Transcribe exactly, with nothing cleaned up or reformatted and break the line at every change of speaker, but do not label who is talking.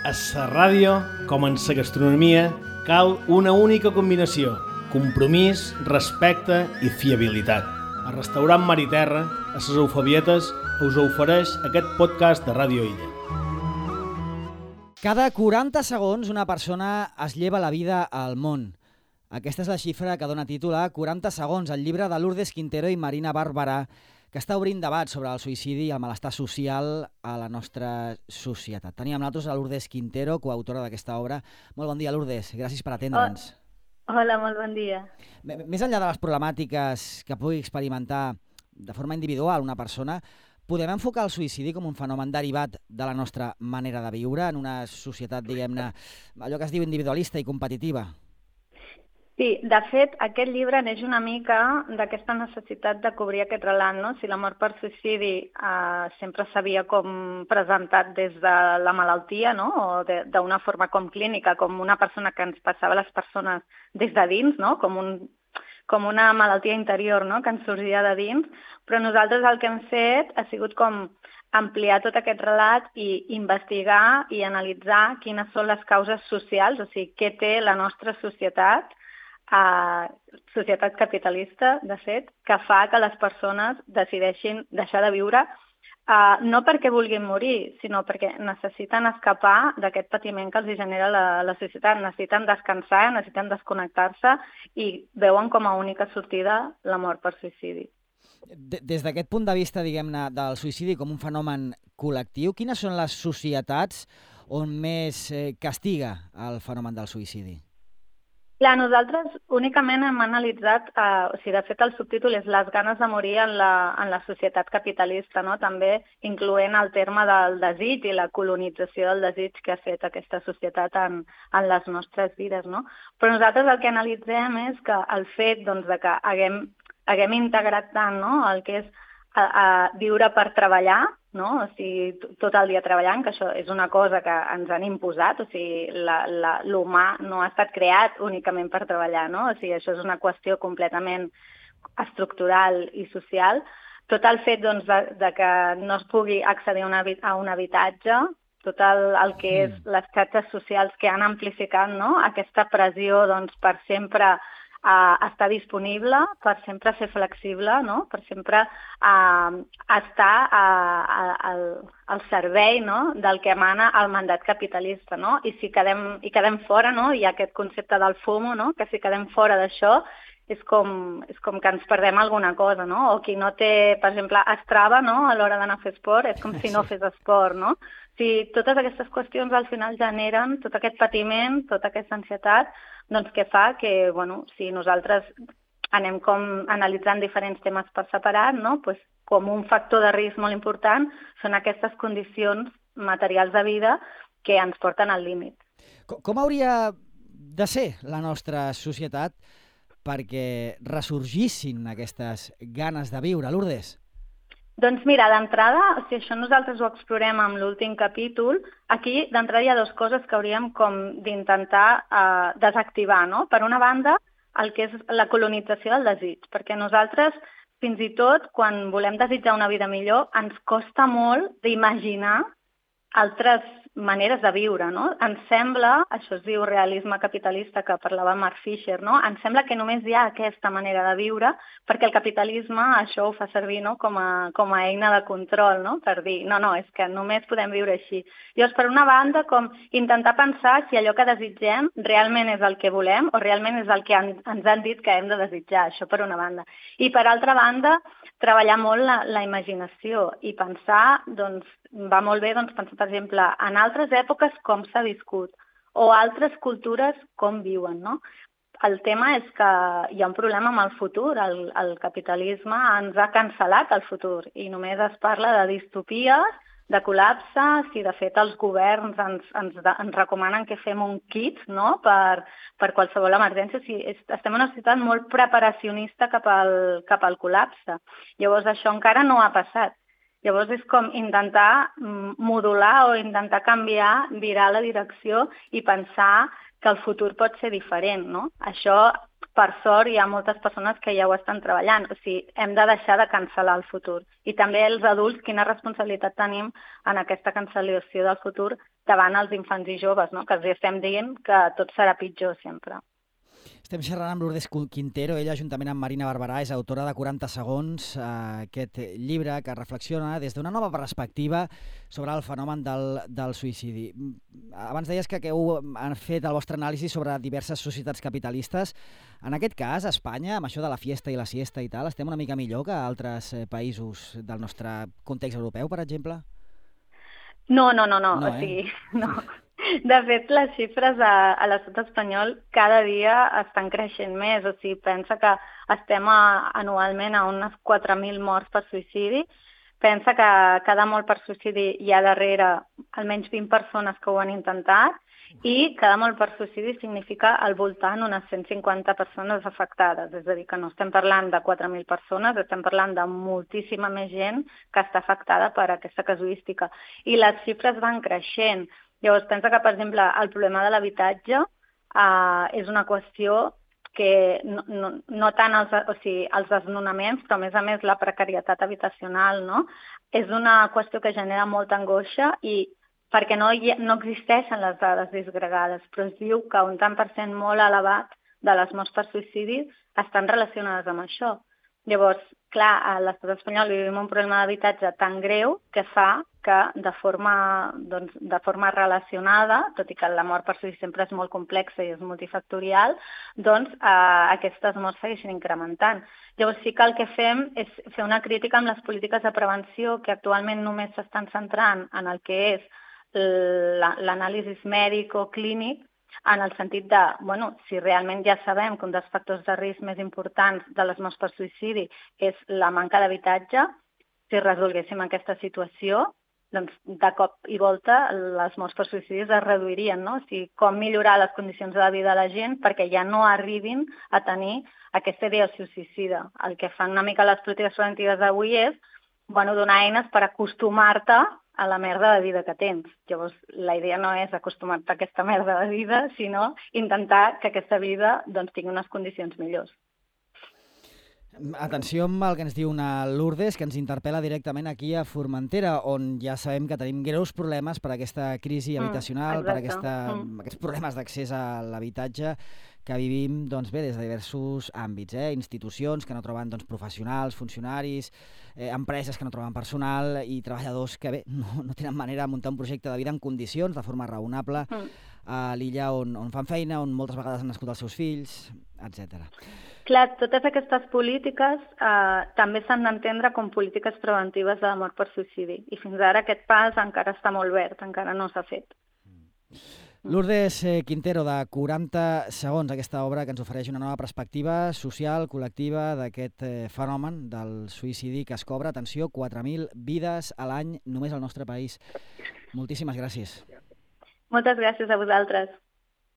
A la ràdio, com en la gastronomia, cal una única combinació: compromís, respecte i fiabilitat. El restaurant Mar i Terra, a les Eufabietes, us ofereix aquest podcast de Ràdio Illa.
Cada quaranta segons una persona es lleva la vida al món. Aquesta és la xifra que dona títol a quaranta segons, el llibre de Lourdes Quintero i Marina Barberà, que està obrint debat sobre el suïcidi i el malestar social a la nostra societat. Tenim amb nosaltres a Lourdes Quintero, coautora d'aquesta obra. Molt bon dia, Lourdes. Gràcies per atendre'ns.
Oh, hola, molt bon dia.
Més enllà de les problemàtiques que pugui experimentar de forma individual una persona, podem enfocar el suïcidi com un fenomen derivat de la nostra manera de viure en una societat, diguem-ne, allò que es diu individualista i competitiva?
Sí, de fet, aquest llibre neix una mica d'aquesta necessitat de cobrir aquest relat, no? Si la mort per suïcidi eh, sempre s'havia com presentat des de la malaltia, no? O d'una forma com clínica, com una persona que ens passava a les persones des de dins, no? Com, un, com una malaltia interior, no? Que ens sorgia de dins, però nosaltres el que hem fet ha sigut com ampliar tot aquest relat i investigar i analitzar quines són les causes socials, o sigui, què té la nostra societat, a societat capitalista, de fet, que fa que les persones decideixin deixar de viure, uh, no perquè vulguin morir, sinó perquè necessiten escapar d'aquest patiment que els genera la, la societat, necessiten descansar, necessiten desconnectar-se i veuen com a única sortida la mort per suïcidi.
Des d'aquest punt de vista, diguem-ne, del suïcidi com un fenomen col·lectiu, quines són les societats on més eh, castiga el fenomen del suïcidi?
Clar, nosaltres únicament hem analitzat, eh, o sigui, de fet el subtítol és les ganes de morir en la, en la societat capitalista, no? També incloent el terme del desig i la colonització del desig que ha fet aquesta societat en, en les nostres vides, no? Però nosaltres el que analitzem és que el fet doncs, de que haguem, haguem integrat tant, no? El que és a, a viure per treballar, no? O sigui, tot el dia treballant, que això és una cosa que ens han imposat, o sigui, l'humà no ha estat creat únicament per treballar, no? O sigui, això és una qüestió completament estructural i social. Tot el fet doncs, de, de que no es pugui accedir a, una, a un habitatge, tot el, el que és les xarxes socials que han amplificat, no? Aquesta pressió doncs, per sempre Uh, estar disponible, per sempre ser flexible, no? Per sempre uh, estar uh, al, al servei, no? Del que emana el mandat capitalista, no? I si quedem, i quedem fora, no? Hi ha aquest concepte del FOMO, no? Que si quedem fora d'això és com, és com que ens perdem alguna cosa, no? O qui no té, per exemple, Strava, no? A l'hora d'anar a fer esport, és com si no fes esport, no? O sigui, totes aquestes qüestions al final generen tot aquest patiment, tota aquesta ansietat, doncs que fa que, bueno, si nosaltres anem com analitzant diferents temes per separat, no? Pues com un factor de risc molt important són aquestes condicions materials de vida que ens porten al límit.
Com, com hauria de ser la nostra societat perquè ressorgissin aquestes ganes de viure, Lourdes?
Doncs mira, d'entrada, o sigui, això nosaltres ho explorem amb l'últim capítol, aquí d'entrada hi ha dues coses que hauríem com d'intentar eh, desactivar, no? Per una banda, el que és la colonització del desig, perquè nosaltres, fins i tot, quan volem desitjar una vida millor, ens costa molt d'imaginar altres maneres de viure, no? Ens sembla, això es diu realisme capitalista que parlava Mark Fisher, no? Ens sembla que només hi ha aquesta manera de viure perquè el capitalisme això ho fa servir, no? com, a, com a eina de control, no? Per dir, no, no, és que només podem viure així. Llavors, per una banda, com intentar pensar si allò que desitgem realment és el que volem o realment és el que han, ens han dit que hem de desitjar, això per una banda. I per altra banda, treballar molt la, la imaginació i pensar, doncs, va molt bé doncs, pensar, per exemple, en altres èpoques com s'ha viscut o altres cultures com viuen, no? El tema és que hi ha un problema amb el futur, el, el capitalisme ens ha cancel·lat el futur i només es parla de distopies, de col·lapse, si de fet els governs ens, ens, ens recomanen que fem un kit, no? per, per qualsevol emergència. O sigui, estem en una societat molt preparacionista cap al, cap al col·lapse. Llavors això encara no ha passat. Llavors és com intentar modular o intentar canviar, virar la direcció i pensar que el futur pot ser diferent, no? Això, per sort, hi ha moltes persones que ja ho estan treballant. O sigui, hem de deixar de cancel·lar el futur. I també els adults, quina responsabilitat tenim en aquesta cancel·lació del futur davant els infants i joves, no? Que els estem dient que tot serà pitjor sempre.
Estem xerrant amb Lourdes Quintero, ella, juntament amb Marina Barberà, és autora de quaranta segons, eh, aquest llibre que reflexiona des d'una nova perspectiva sobre el fenomen del, del suïcidi. Abans deies que, que heu fet el vostre anàlisi sobre diverses societats capitalistes. En aquest cas, a Espanya, amb això de la fiesta i la siesta i tal, estem una mica millor que altres països del nostre context europeu, per exemple?
No, no, no, no.
no
o
eh?
sigui, no. De fet, les xifres a, a l'estat espanyol cada dia estan creixent més. O sigui, pensa que estem a, anualment a unes quatre mil morts per suïcidi. Pensa que cada mort per suïcidi hi ha darrere almenys vint persones que ho han intentat i cada mort per suïcidi significa al voltant unes cent cinquanta persones afectades. És a dir, que no estem parlant de quatre mil persones, estem parlant de moltíssima més gent que està afectada per aquesta casuística. I les xifres van creixent. Llavors, pensa que, per exemple, el problema de l'habitatge eh, és una qüestió que no, no, no tant els, o sigui, els desnonaments, però a més a més la precarietat habitacional, no? És una qüestió que genera molta angoixa i perquè no, hi, no existeixen les dades disgregades, però es diu que un tant per cent molt elevat de les morts per suïcidi estan relacionades amb això. Llavors, clar, a l'estat espanyol vivim un problema d'habitatge tan greu que fa que de forma, doncs, de forma relacionada, tot i que la mort per suïcidi sempre és molt complexa i és multifactorial, doncs eh, aquestes morts segueixen incrementant. Llavors sí que el que fem és fer una crítica amb les polítiques de prevenció que actualment només s'estan centrant en el que és l'anàlisi mèdic o clínic, en el sentit de, bueno, si realment ja sabem que un dels factors de risc més importants de les morts per suïcidi és la manca d'habitatge, si resolguéssim aquesta situació, doncs de cop i volta les morts per suïcidi es reduirien, no? O sigui, com millorar les condicions de la vida de la gent perquè ja no arribin a tenir aquesta idea suïcida. El que fan una mica les polítiques preventives d'avui és, bueno, donar eines per acostumar-te a la merda de vida que tens. Llavors, la idea no és acostumar-te a aquesta merda de vida, sinó intentar que aquesta vida doncs, tingui unes condicions millors.
Atenció amb el que ens diu una Lourdes, que ens interpel·la directament aquí a Formentera, on ja sabem que tenim greus problemes per aquesta crisi habitacional, mm, per aquesta, mm. aquests problemes d'accés a l'habitatge que vivim doncs, bé, des de diversos àmbits, eh? Institucions que no troben doncs, professionals, funcionaris, eh, empreses que no troben personal i treballadors que bé, no, no tenen manera de muntar un projecte de vida en condicions, de forma raonable, mm. a l'illa on, on fan feina, on moltes vegades han nascut els seus fills, etcètera.
Clar, totes aquestes polítiques eh, també s'han d'entendre com polítiques preventives de la mort per suïcidi i fins ara aquest pas encara està molt verd, encara no s'ha fet.
Lourdes Quintero, de quaranta segons, aquesta obra que ens ofereix una nova perspectiva social, col·lectiva d'aquest fenomen del suïcidi que es cobra, atenció, quatre mil vides a l'any només al nostre país. Moltíssimes gràcies.
Moltes gràcies a vosaltres.